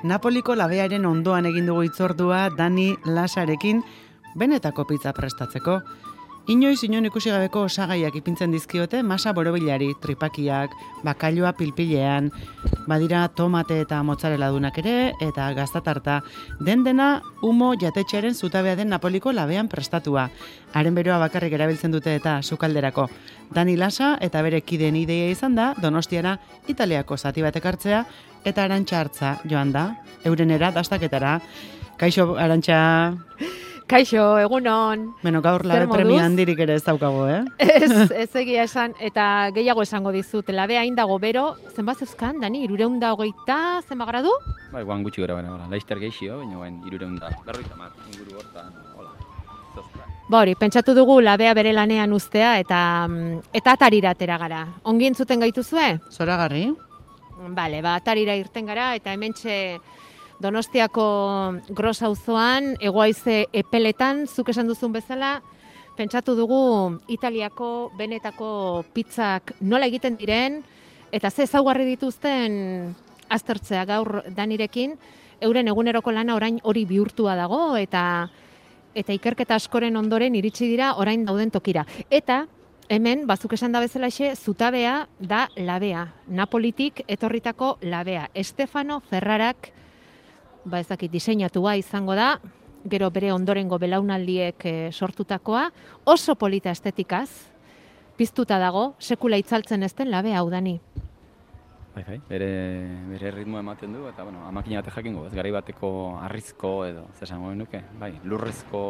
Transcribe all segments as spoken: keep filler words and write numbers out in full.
Napoliko labearen ondoan egin dugu hitzordua Dani Lasarekin benetako pizza prestatzeko. Inoiz inon ikusi gabeko osagaiak ipintzen dizkiote masa borobilari, tripakiak, bakailoa pilpilean, badira tomate eta mozzarella dunak ere, eta gaztatarta. Den dena humo jatetxearen zutabea den Napoliko labean prestatua. Haren beroa bakarrik erabiltzen dute eta sukalderako. Dani Lasa eta bere kideen ideia izan da, Donostiara Italiako zati batek hartzea, eta Arantxa hartza joan da, eurenera dastaketara. Kaixo, Arantxa... Kaixo, egunon. Bueno, gaur labe premia handirik ere ez daukago, eh? Ez, ez egia esan, eta gehiago esango dizut. Labea hain dago bero, zenbat zeuzkan, Dani, irureun da hogeita, zenba gradu? Bai, guan gutxi gara bera, laizter geixio, baina guan irureun da, berroita mar, inguru hortan, hola, zoztra. Ba hori, pentsatu dugu labea bere lanean uztea, eta eta atarira atera gara. Ongi entzuten gaituzue? Zoragarri. Bale, ba, atarira irten gara, eta hementxe Donostiako Gros auzoan, Hegoaize epeletan, zuk esan duzun bezala, pentsatu dugu Italiako benetako pizzak nola egiten diren, eta ze ezaugarri dituzten aztertzea gaur Danirekin, euren eguneroko lana orain hori bihurtua dago, eta eta ikerketa askoren ondoren iritsi dira orain dauden tokira. Eta hemen, bazuk esan da bezalaxe, zutabea da labea, Napolitik etorritako labea. Stefano Ferrarak, ba ez dakit, diseinatua izango da, gero bere ondorengo belaunaldiek e, sortutakoa, oso polita estetikaz, piztuta dago, sekula itzaltzen ez den labe hau, Dani. Bai, bai, bere, bere ritmo ematen du, eta bueno, amakina bate jakingo, ez garai bateko harrizko edo, zesango nuke, bai, lurrezko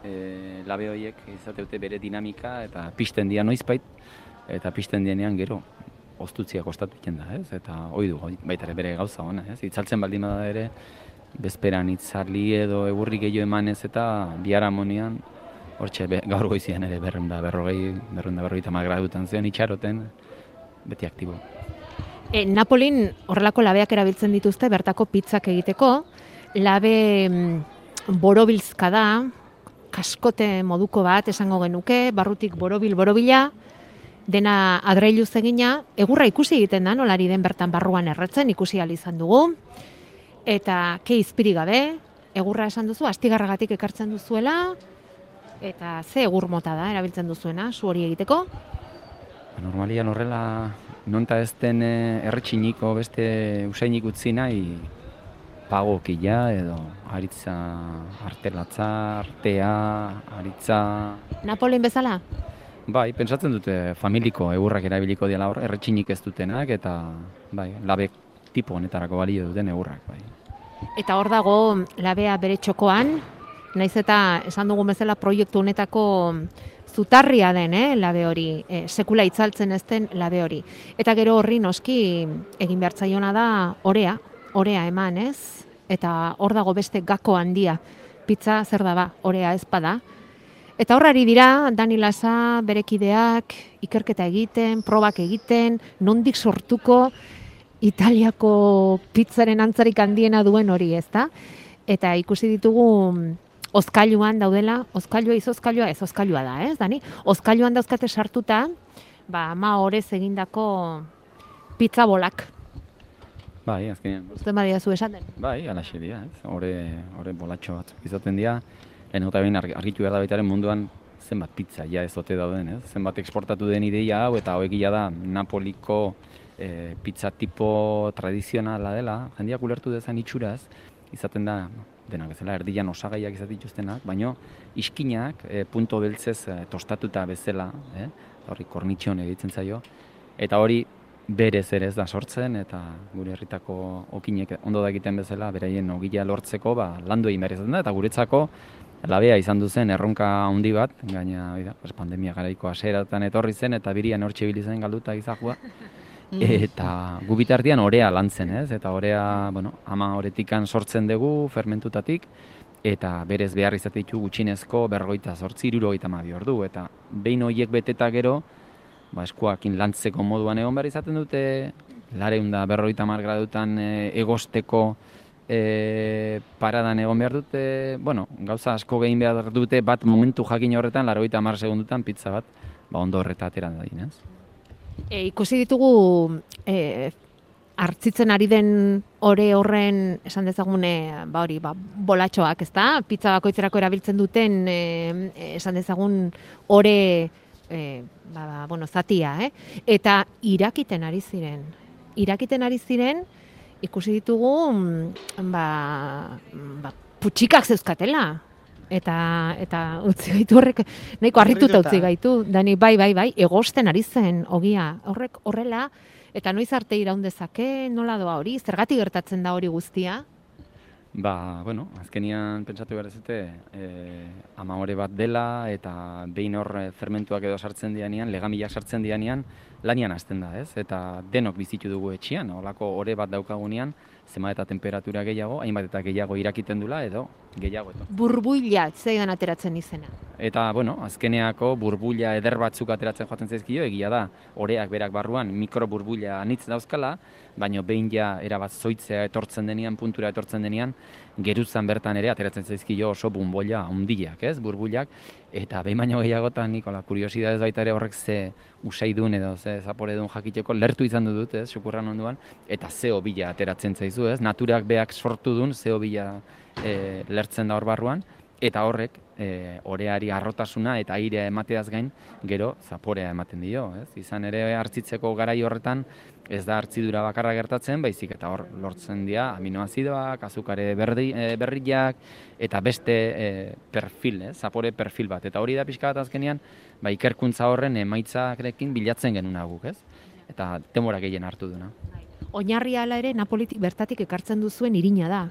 e, labe horiek izateute bere dinamika, eta pisten dia noizbait, eta pisten dienean gero, oztutzia kostatu egiten da, ez? Eta hoi du, baita ere bere gauza ona, ez? Itzaltzen baldin bada ere, bezperan itzarli edo egurri gehiago emanez eta biharamonean, hortxe gaur goizian ere berrehun da berrogei, berrehun da berrogeita hamar gradutan zion itxaroten, beti aktibo. E, Napolin horrelako labeak erabiltzen dituzte bertako pizzak egiteko, labe borobilzka da, kaskote moduko bat esango genuke, barrutik borobil borobila, dena adreiluz egina, egurra ikusi egiten da, nolari den bertan barruan erretzen, ikusi ahal izan dugu. Eta ke izpiri gabe, egurra esan duzu, astigarragatik ekartzen duzuela, eta ze egur mota da, erabiltzen duzuena, zu hori egiteko? Normalian horrela, nonta ez den erretxiniko beste usainik utzi nahi, pagokila edo aritza, artelatza, artea, aritza... Napolin bezala? Bai, pentsatzen dute familiko egurrak erabiliko diela hor, erretxinik ez dutenak, eta bai, labe tipo honetarako balio duten egurrak. Bai. Eta hor dago labea bere txokoan, naiz eta esan dugun bezala proiektu honetako zutarria den, eh, labe hori, eh, sekula itzaltzen ez den labe hori. Eta gero horri noski egin behar zaiona da orea, orea eman ez, eta hor dago beste gako handia, pizza zer da ba, orea ez bada. Eta horrari dira, Dani Lasa, berekideak, ikerketa egiten, probak egiten, nondik sortuko Italiako pizzaren antzarik handiena duen hori, ezta? Eta ikusi ditugu ozkailuan daudela, ozkailua izozkailua, ez ozkailua da, ez, Dani? Ozkailuan dauzkate sartuta, ba, ama horez egindako pizza bolak. Bai, azkenean. Zuten badia zu esan den? Bai, alaxe dira, ez? Hore, hore bolatxo batzuk izaten dira. Lehen eta behin argitu behar da baitaren munduan zenbat pizza ja ez ote dauden, ez? Zenbat eksportatu den ideia hau eta hauek da Napoliko e, pizza tipo tradizionala dela, jendeak ulertu dezan itxuraz, izaten da, denak bezala, erdian osagaiak izat dituztenak, baino iskinak e, punto beltzez e, tostatuta bezala, eh? Horri kornitxon egiten zaio, eta hori berez ere ez da sortzen, eta gure herritako okinek ondo da egiten bezala, beraien ogila lortzeko, ba, landu egin behar izaten da, eta guretzako labea izan duzen erronka handi bat, gaina oida, pues, pandemia garaiko haseratan etorri zen, eta birian hortxe bilizen galduta izahua, eta gu bitartean orea lantzen, ez? Eta orea, bueno, ama horetikan sortzen dugu, fermentutatik, eta berez behar izatetu gutxinezko berrogeita zortzi, hirurogeita hamabi ordu, eta behin horiek beteta gero, ba, eskuakin lantzeko moduan egon behar izaten dute, lareun da berrogeita hamar gradutan e, egosteko e, paradan egon behar dute, bueno, gauza asko gehin behar dute, bat momentu jakin horretan, laurogeita hamar segundutan pizza bat, ba, ondo horreta atera dadin, ez? E, ikusi ditugu e, hartzitzen ari den ore horren, esan dezagune, ba hori, ba, bolatxoak, ez da? Pizza bakoitzerako erabiltzen duten, e, esan dezagun, ore, e, ba, bueno, zatia, eh? Eta irakiten ari ziren. Irakiten ari ziren, ikusi ditugu, ba, ba putxikak zeuzkatela. Eta, eta utzi gaitu horrek, nahiko harrituta utzi gaitu. Dani, bai, bai, bai, egosten ari zen, ogia. Horrek horrela, eta noiz arte iraun dezake, nola doa hori? Zergatik gertatzen da hori guztia? Ba, bueno, azkenian pentsatu behar ezute, eh, ama ore bat dela, eta behin hor fermentuak edo sartzen dianean, legamilak sartzen dianean, lanian hasten da, ez? Eta denok bizitu dugu etxean, holako ore bat daukagunean, zenbat eta temperatura gehiago, hainbat eta gehiago irakiten dula, edo gehiago edo. Burbuila, zeidan ateratzen izena. Eta, bueno, azkeneako burbuila eder batzuk ateratzen joaten zaizkio, egia da, oreak berak barruan mikroburbuila anitz dauzkala, baina behin ja erabat zoitzea etortzen denean, puntura etortzen denean, geruzan bertan ere ateratzen zaizkio oso bunboila handiak, ez, burbulak, eta behin baino gehiagotan, Nikola, kuriosidadez baita ere horrek ze usaidun edo ze zapore duen jakiteko lertu izan dut, ez, xupurran onduan, eta zeo bila ateratzen zaizu, ez, naturak beak sortu duen zeo bila e, lertzen da hor barruan, eta horrek e, oreari arrotasuna eta airea emateaz gain gero zaporea ematen dio, ez? Izan ere hartzitzeko garai horretan ez da hartzidura bakarra gertatzen, baizik eta hor lortzen dira aminoazidoak, azukare berri, e, berriak eta beste e, perfil, ez? Zapore perfil bat. Eta hori da pixka bat azkenean, ba, ikerkuntza horren emaitzarekin bilatzen genuna guk, ez? Eta denbora gehien hartu duna. Oinarria hala ere Napolitik bertatik ekartzen duzuen irina da.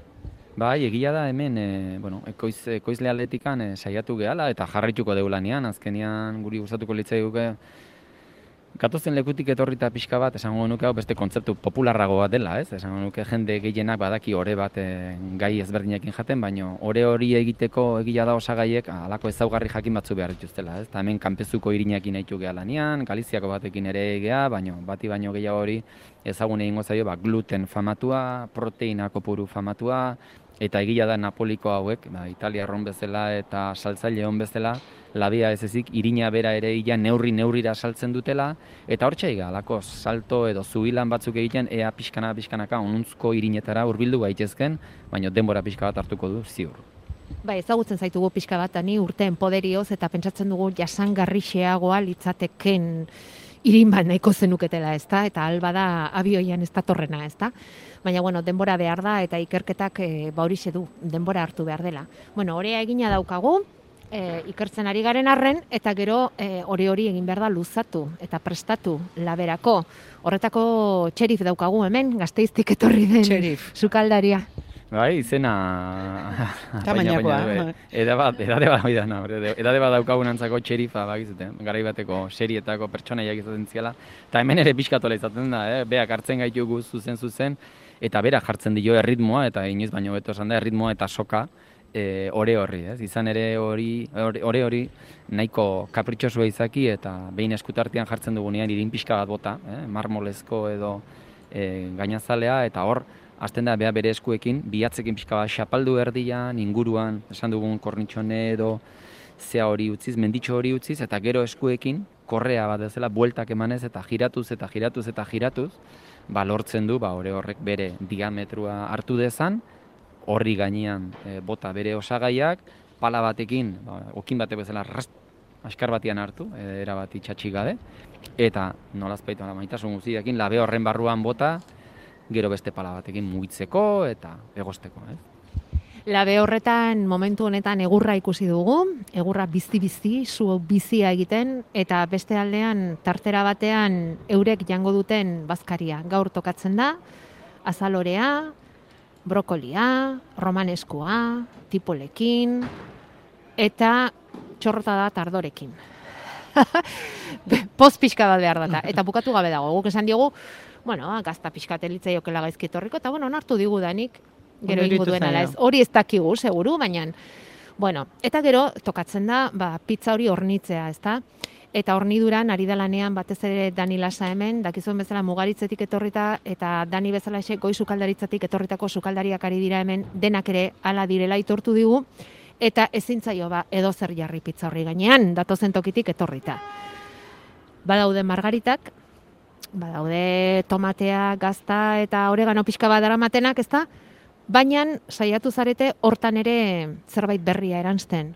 Bai, egia da hemen, e, bueno, ekoiz, ekoizle aldetikan e, saiatu gehala eta jarrituko degu lanean, azkenean guri gustatuko litzaiguke gatozen lekutik etorrita pixka bat, esango nuke hau beste kontzeptu popularrago bat dela, ez? Esango nuke jende gehienak badaki ore bat e, gai ezberdinekin jaten, baina ore hori egiteko egia da osagaiek halako ezaugarri jakin batzu behar dituztela, ez? Ta hemen kanpezuko irinekin nahitu geha lanean, Galiziako batekin ere geha, baina bati baino gehiago hori ezagun egingo zaio, ba, gluten famatua, proteina kopuru famatua, eta egia da Napoliko hauek, ba, Italia erron bezala eta saltzaile hon bezala, labia ez ezik, irina bera ere ia neurri neurrira saltzen dutela, eta hortxe ega, alako salto edo zubilan batzuk egiten, ea pixkana pixkanaka onuntzko irinetara hurbildu gaitezken, baina denbora pixka bat hartuko du ziur. Bai, ezagutzen zaitugu pixka bat, ani urteen poderioz, eta pentsatzen dugu jasangarrixeagoa litzateken irin bat nahiko zenuketela, ezta? Eta alba da abioian ez datorrena, ezta? Baina, bueno, denbora behar da eta ikerketak e, ba horixe du, denbora hartu behar dela. Bueno, orea egina daukagu, e, ikertzen ari garen arren, eta gero e, ore hori egin behar da luzatu eta prestatu laberako. Horretako txerif daukagu hemen, Gasteiztik etorri den Txerif. sukaldaria. Bai, izena... Tamainakoa. Eda bat, edade bat, oidana, edade bat daukagunantzako txerifa, bakizuten, garai bateko serietako pertsonaiak izaten ziala, eta hemen ere pixkatola izaten da, eh? Beak hartzen gaitugu zuzen zuzen, eta bera jartzen dio erritmoa, eta inoiz baino beto esan da, erritmoa eta soka, e, ore horri, ez? Izan ere hori, ore hori nahiko kapritxosua izaki, eta behin eskutartean jartzen dugunean irin pixka bat bota, eh? Marmolezko edo e, gainazalea, eta hor, hasten da bea bere eskuekin, bihatzekin pixka bat xapaldu erdian, inguruan, esan dugun kornitxone edo zea hori utziz, menditxo hori utziz, eta gero eskuekin, korrea bat ezela, bueltak emanez, eta giratuz, eta giratuz, eta giratuz, ba, lortzen du, ba, ore horrek bere diametrua hartu dezan, horri gainean e, bota bere osagaiak, pala batekin, ba, okin bate bezala, rast, askar batian hartu, e, era bat itxatxik gabe, eta nolazpaitu, maitasun guztiekin, labe horren barruan bota, gero beste pala batekin mugitzeko eta egosteko, ez? Labe horretan momentu honetan egurra ikusi dugu, egurra bizi-bizi, zu bizia egiten, eta beste aldean tartera batean eurek jango duten bazkaria. Gaur tokatzen da, azalorea, brokolia, romaneskua, tipolekin, eta txorrota da tardorekin. Poz pixka bat behar data, eta bukatu gabe dago, guk esan diogu, bueno, gazta pixkat elitzaiokela gaizki etorriko, eta bueno, onartu digu danik, gero ingo duen ala ez. Hori ez dakigu, seguru, baina, bueno, eta gero tokatzen da, ba, pizza hori hornitzea, ezta? Eta horniduran ari da lanean batez ere Dani Lasa hemen, dakizuen bezala Mugaritzetik etorrita, eta Dani bezala ese goi sukaldaritzatik etorritako sukaldariak ari dira hemen, denak ere hala direla itortu digu, eta ezin zaio ba edo zer jarri pizza horri gainean, datozen tokitik etorrita. Badaude margaritak, badaude tomatea, gazta eta oregano pixka bat daramatenak, ezta? Baina saiatu zarete hortan ere zerbait berria eransten.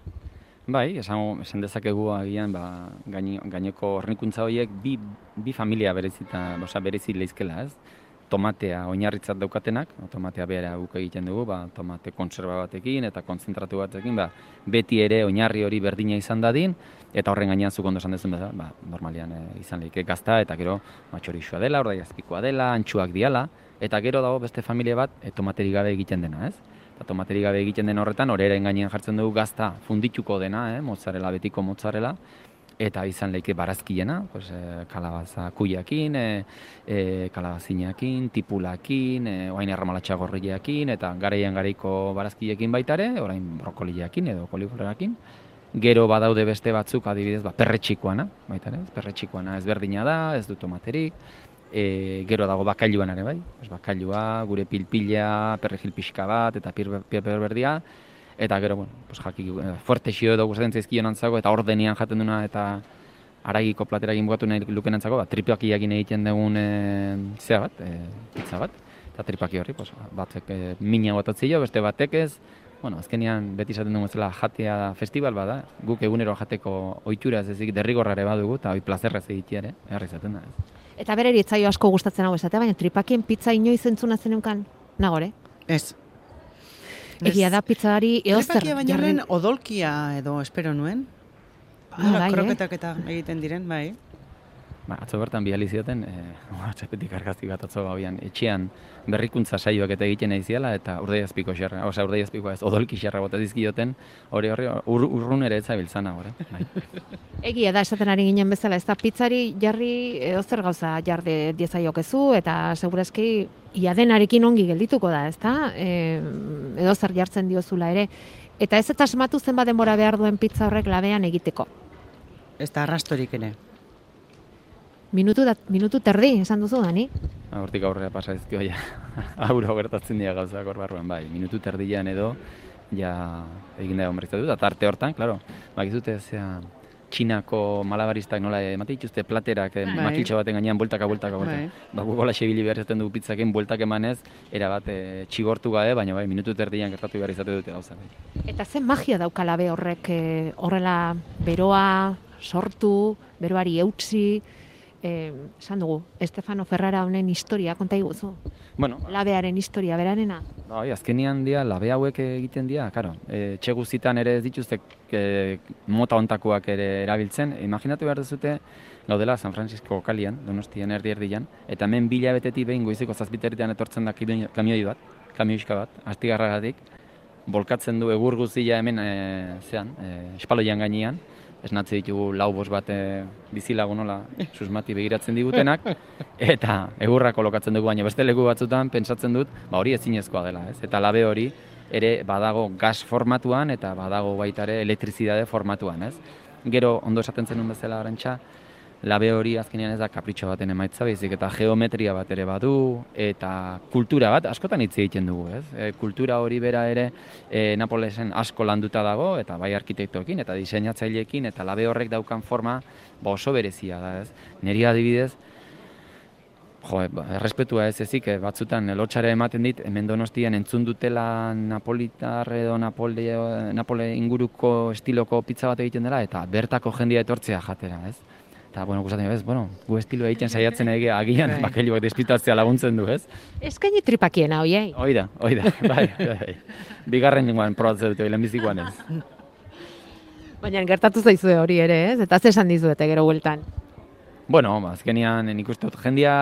Bai, esan, esan dezakegu agian, ba, gaini, gaineko hornikuntza horiek bi, bi familia berezita, oza, berezi leizkela, ez? Tomatea oinarritzat daukatenak, tomatea behera guk egiten dugu, ba, tomate kontserba batekin eta konzentratu batekin, ba, beti ere oinarri hori berdina izan dadin, eta horren gainean zuk ondo esan dezun bezala, ba, normalian e, izan lehike gazta, eta gero matxorixoa dela, ordaiazpikoa dela, antxuak diala, eta gero dago beste familia bat e, tomateri gabe egiten dena, ez? Eta tomateri gabe egiten den horretan, horreren gainean jartzen dugu gazta fundituko dena, eh? mozzarella, betiko mozzarella, eta izan leike barazkiena, pues, e, kalabaza kuiakin, e, e, kalabazinakin, tipulakin, e, oain erramalatxa gorriakin, eta garaian garaiko barazkiekin baitare, orain brokoliakin edo koliflorakin. Gero badaude beste batzuk, adibidez, ba, perretxikoana, baitare, perretxikoana ezberdina da, ez du tomaterik. E, gero dago bakailuan ere bai, pues, bakailua, gure pilpila, perrejil pixka bat, eta piper berdia. Eta gero, bueno, pues, jaki, fuerte xio edo gustatzen zaizkion antzago, eta ordenian jaten duna, eta aragiko platera egin bukatu nahi luken antzago, ba, tripakiakin egiten dugun e, zea bat, e, pizza bat. Eta tripaki horri, pues, batek e, mina botatzio, beste batek ez. Bueno, azkenean beti izaten dugu zela jatea festival bada, guk egunero jateko ohitura ez ezik derrigorrare badugu, eta hoi plazerrez egitea ere, herri izaten da. Ez. Eta bereri etzaio asko gustatzen hau esatea, baina tripakien pizza inoiz entzuna zeneukan, nagore? Ez. Egia da pizzari eozer. Tripakia baino lehen odolkia edo espero nuen. Ah, bai, kroketak eta egiten diren, bai. Ba, atzo bertan bihali zioten, e, atxepetik argazki bat atzo gabian, etxean berrikuntza saioak eta egiten nahi ziala, eta urdaiazpiko xerra, oza, urdaiazpiko ez, odolki xerra bota dizkioten, hori hori ur, urrun ere ez zabiltzana, hori. Bai. Egia da, esaten ari ginen bezala, ez da pizzari jarri edozer gauza jarde diezaiokezu, eta segurazki ia denarekin ongi geldituko da, ez da? E, edozer jartzen diozula ere. Eta ez eta asmatu zenbat denbora behar duen pizza horrek labean egiteko. Ez da arrastorik ere. Minutu, da, minutu terdi, esan duzu, Dani? Hortik aurrera pasa ezkio, ja, auro gertatzen dira gauzak hor barruan, bai, minutu terdian edo, ja, egin da honberrizatu, eta tarte hortan, klaro, bakizute, zea, Txinako malabaristak nola emate dituzte platerak, eh, makiltxo baten gainean, bueltaka, bueltaka, bueltaka. Ba, gugola xebili behar izaten dugu pizzaken, bueltak emanez, erabat e, txigortu gabe, baina bai, minutu terdian gertatu behar izate dute gauza. Bai. Eta zen magia dauka labe horrek, e, horrela beroa sortu, beroari eutsi, Eh, esan dugu, Estefano Ferrara honen historia, konta iguzu? Bueno, labearen historia, berarena? Bai, azkenian dia, labe hauek egiten dira, karo. E, txeguzitan ere ez dituzte e, mota ontakoak ere erabiltzen. Imaginatu behar duzute, gaudela San Francisco kalian, Donostian erdi erdian, eta hemen bila betetik behin goizeko zazpiterritan etortzen da kamioi bat, kamioiska bat, astigarragatik, bolkatzen du egur guztia hemen e, zean, e, espaloian gainean, esnatze ditugu lau bost bat e, bizilagun nola susmati begiratzen digutenak, eta egurra kolokatzen dugu, baina beste leku batzutan pentsatzen dut, ba hori ezinezkoa dela, ez? Eta labe hori ere badago gas formatuan eta badago baita ere elektrizidade formatuan, ez? Gero ondo esaten zenun bezala Arantxa, labe hori azkenean ez da kapritxo baten emaitza baizik eta geometria bat ere badu eta kultura bat askotan hitz egiten dugu, ez? E, kultura hori bera ere e, Napolesen asko landuta dago eta bai arkitektoekin eta diseinatzaileekin eta labe horrek daukan forma ba oso berezia da, ez? Neri adibidez, jo, errespetua ez ezik, batzutan lotxare ematen dit, hemen Donostian entzun dutela napolitar edo Napole, Napole inguruko estiloko pizza bat egiten dela eta bertako jendia etortzea jatera, ez? Eta, bueno, gustatzen ez, bueno, gu estilo egiten saiatzen ege agian bakailuak despistatzea laguntzen du, ez? Eskaini tripakiena, oiei? Hoi da, hoi da, bai, bai. Bigarren nengoan probatzen dute, lehenbizikoan ez. Baina gertatu zaizue hori ere, ez? Eta ze esan dizuete gero bueltan? Bueno, azkenean nik uste dut, jendia,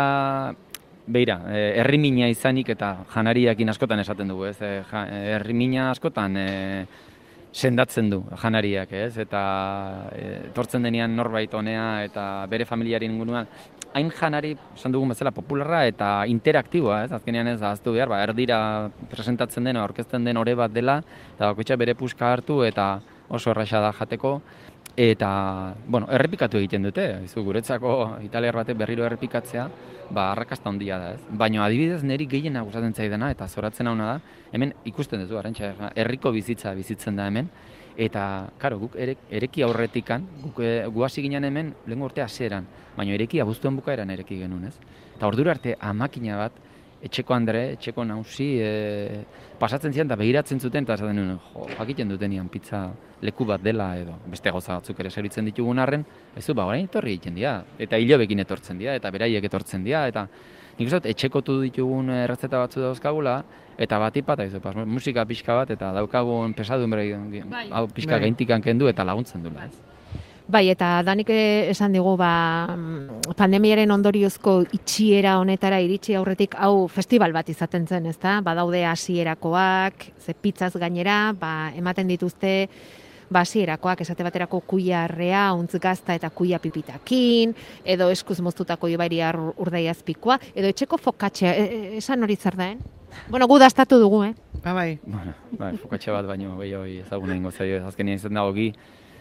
beira, herrimina izanik eta janariakin askotan esaten dugu, ez? Herrimina askotan sendatzen du janariak, ez? Eta etortzen denean norbait honea eta bere familiaren inguruan hain janari, esan dugun bezala, popularra eta interaktiboa, ez? Azkenean ez ahaztu behar, ba, erdira presentatzen dena, aurkezten den ore bat dela, eta bakoitza bere puska hartu eta oso erraxa da jateko. Eta, bueno, errepikatu egiten dute, izu, guretzako italiar batek berriro errepikatzea, ba, arrakasta handia da, ez? Baina adibidez niri gehiena gustatzen zaidana eta zoratzen hauna da, hemen ikusten duzu, Arantxa, herriko bizitza bizitzen da hemen, Eta, karo, guk ere, ereki aurretikan, guk e, gu hasi ginen hemen lehengo urte hasieran, baina ereki abuztuen bukaeran ereki genuen, ez? Eta ordura arte amakina bat, etxeko Andre, etxeko nausi, e, pasatzen zian eta begiratzen zuten, eta esaten nuen, jo, jakiten dutenian pizza leku bat dela, edo beste gauza batzuk ere servitzen ditugun arren, ez du, ba, orain etorri egiten dira, eta hilobekin etortzen dira, eta beraiek etortzen dira, eta nik uste dut, etxekotu ditugun errezeta batzu dauzkagula, eta bat ipata, ez, pas, musika pixka bat, eta daukagun pesadun bere, hau pixka Bai. gaintikan kendu, eta laguntzen duela, ez? Bai, eta danik esan digu, ba, pandemiaren ondoriozko itxiera honetara iritsi aurretik hau festival bat izaten zen, ezta? Badaude hasierakoak, ze pizzaz gainera, ba, ematen dituzte ba, hasierakoak, esate baterako kuia arrea, untz gazta eta kuia pipitakin, edo eskuz moztutako ibairia urdaiazpikoa, edo etxeko fokatxea, e, e, esan hori zer da, eh? Bueno, gu dastatu dugu, eh? Ba, bai. Bueno, bai, fokatxe bat baino gehiago ezaguna ingo zaio, azkenean izan da ogi,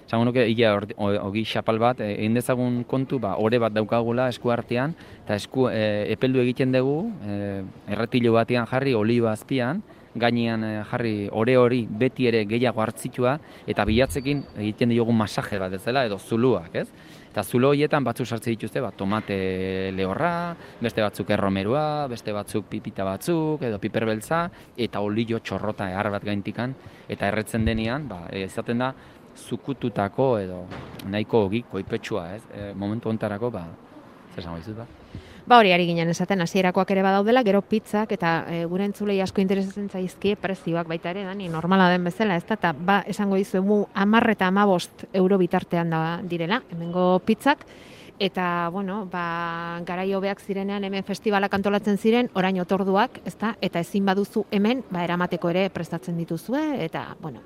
esango nuke, ia ogi xapal bat, egin dezagun kontu, ba, ore bat daukagula esku artean, eta esku e, epeldu egiten dugu, e, erretilo batean jarri, oliba azpian, gainean e, jarri ore hori beti ere gehiago hartzitua, eta bilatzekin egiten diogun masaje bat ez dela, edo zuluak, ez? Eta zulo horietan batzuk sartzen dituzte, ba, tomate lehorra, beste batzuk erromerua, beste batzuk pipita batzuk, edo piperbeltza, eta olio txorrota ehar bat gaintikan, eta erretzen denean, ba, izaten da, zukututako edo nahiko ogi koipetsua, ez? E, momentu hontarako, ba, zer esango dizut, ba? Ba hori ari ginen esaten hasierakoak ere badaudela, gero pizzak eta e, gure entzulei asko interesatzen zaizkie prezioak baita ere, Dani, normala den bezala, ez da, eta ba, esango dizuegu hamar eta hamabost euro bitartean da direla, hemengo pizzak, eta, bueno, ba, garai hobeak zirenean hemen festivalak antolatzen ziren, orain otorduak, ez da, eta ezin baduzu hemen, ba, eramateko ere prestatzen dituzue, eta, bueno,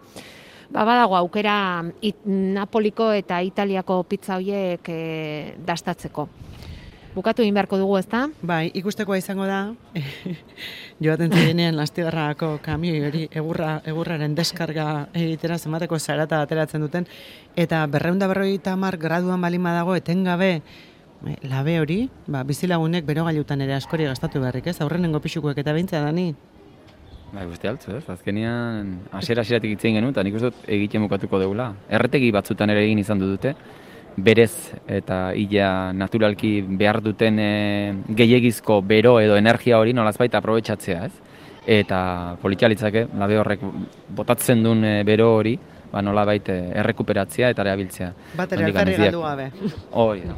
ba, badago aukera it, Napoliko eta Italiako pizza horiek e, dastatzeko. Bukatu egin beharko dugu, ezta? Bai, ikustekoa izango da, joaten zirenean Astigarragako kamioi hori egurra, egurraren deskarga egitera zenbateko zarata ateratzen duten, eta berrehun eta berrogeita hamar graduan balin badago etengabe labe hori, ba, bizilagunek berogailutan ere askori gastatu beharrik, ez? Aurrenengo pixukoek eta behintzea, Dani? Bai, guzti altzu, ez? Azkenean, hasiera-hasieratik itzen genuen, eta nik uste dut egiten bukatuko dugula. Erretegi batzutan ere egin izan dute, berez eta illa naturalki behar duten e, gehiegizko bero edo energia hori nolazbait aprobetxatzea, ez? Eta politxalitzake, labe horrek botatzen duen e, bero hori, ba nolabait e, errekuperatzea eta erabiltzea. Bat ere alkarri galdu gabe. Hori da.